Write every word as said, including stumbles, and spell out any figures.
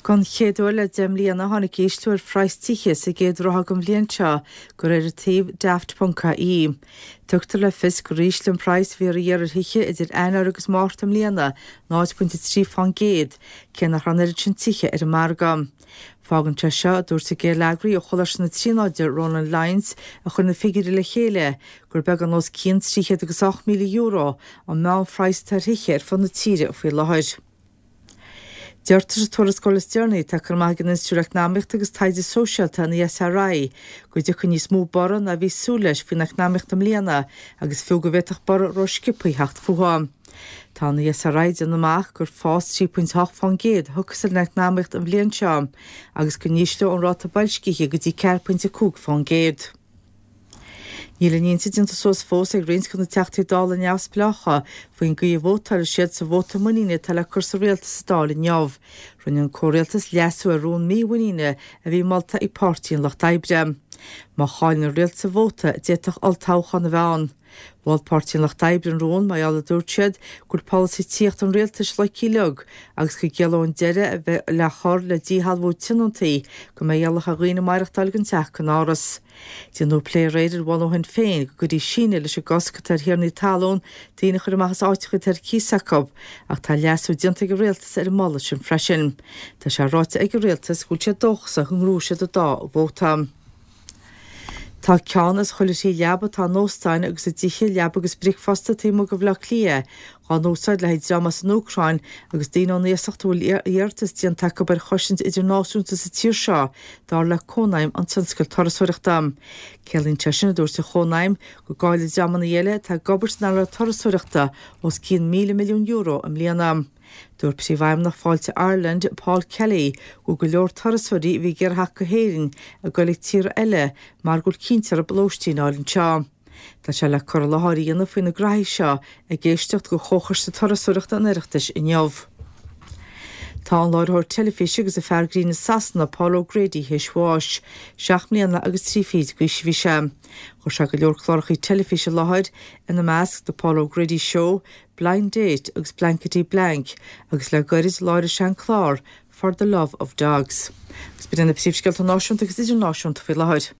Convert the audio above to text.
Don chéad uair le deich mbliana tháinig ísliú ar phraghas tithe sa gcéad ráithe den bhliain seo de réir an tsuímh daft.ie. Tugtar le fios gur ísle an praghas a bhí ar iarraidh ar thithe idir Eanáir agus Márta i mbliana náid pointe trí faoin gcéad, cé nach raibh an oiread sin tithe ar an margadh. Fágann sé seo a dúirt an geilleagraí ó Choláiste na Tríonóide Ronan Lyons a chuir na figiúirí le chéile gur beagán os cionn trí chéad agus ocht míle euro an meánphraghas ar thithe ar fud na tíre faoi láthair. Deirtear sa tuarascáil is deireanaí atá curtha amach ag an Institiúid Eacnamaíochta agus Taighde Sóisialta an ESRI go dtiocfaidh níos mó borradh ná bhí súil leis faoin eacnamaíocht i mbliana agus fiú go bhféadfadh borradh rósciobtha theacht fúthu. Tá an ESRI ag déanamh amach gur fás trí pointe ocht faoin gcéad a thiocfas ar an eacnamaíocht an bhliain seo agus go n-ísleoidh an ráta boilscithe go dtí ceathair pointe cúig faoin gcéad. Níl a n-intinn déanta suas fós ag roinnt de na Teachtaí Dála neamhspleácha faoin gcaoi a vótáilfidh siad sa vóta muiníne atá le cur sa rialtas sa Dáil inniu. Rinne an comhrialtas leasú ar rún mímhuiníne a bhí molta ag Páirtí an Lucht Oibre. Má chailleann an rialtas an vóta d'fhéadfadh olltoghchán a bheith ann. Mhol Páirtí an Lucht Oibre an rún mar gheall a dúirt siad go bhfuil polasaí tithíochta an rialtais loicthe uilig agus go gciallódh an deireadh a bheith le cur le díshealbhú tionóntaí go mbeidh iallach ar dhaoine maireachtáil gan teach gan áras. Déanadh plé aréir ar mholadh Shinn Féin go gcuirfí síneadh leis an gcosc atá ar thiarnaí talún daoine a chur amach as áiteacha atá ar cíos acu, ach tá leasú déanta ag an rialtas ar an moladh sin freisin. Tá sé ráite ag an rialtas go bhfuil siad dóchasach go ngnóthóidh siad an dá vóta. Tá ceann as chuile thrí leaba atá in óstáin agus i dtithe leaba agus bricfeasta taobh amuigh de Bhaile Átha Cliath á n-úsáid le haghaidh dream as an Úcráin agus daoine ón iasacht a bhfuil iarratas déanta acu ar chosaint idirnáisiúnta sa tír seo dar le Cónaidhm an Tionscail Turasóireachta. Ciallaíonn sé sin a dúirt an Chónaidhm go gcaillfidh dreamanna eile atá ag obair san earnáil turasóireachta os cionn míle milliún euro i mbliana. Dúirt príomhfheidhmeannach Fáilte Ireland Paul Kelly go go leor turasóirí a bhí ag iarraidh theacht go hÉirinn ag dul ag tíortha eile mar go bhfuil cinnte orthu lóistín a fháil anseo. Tá sé le cur i láthair a dhéanamh faoi na graithí seo ag éisteacht go Chomhchoiste Turasóireachta an Oireachtais inniu. Tá an láithreoir teilifíse agus an fear grinn i Sasana Paul O'Grady théis bháis, seacht mbliana agus trí fichid d'aois a bhí sé. Chuir sé go leor cláracha teilifíse i láthair ina measc The Paul O'Grady Show, Blind Date agus Blankety Blank agus le gairid láithreoidh sé an clár For the Love of Dogs. Agus b'in na príomhscéalta náisiúnta agus idirnáisiúnta faoi láthair.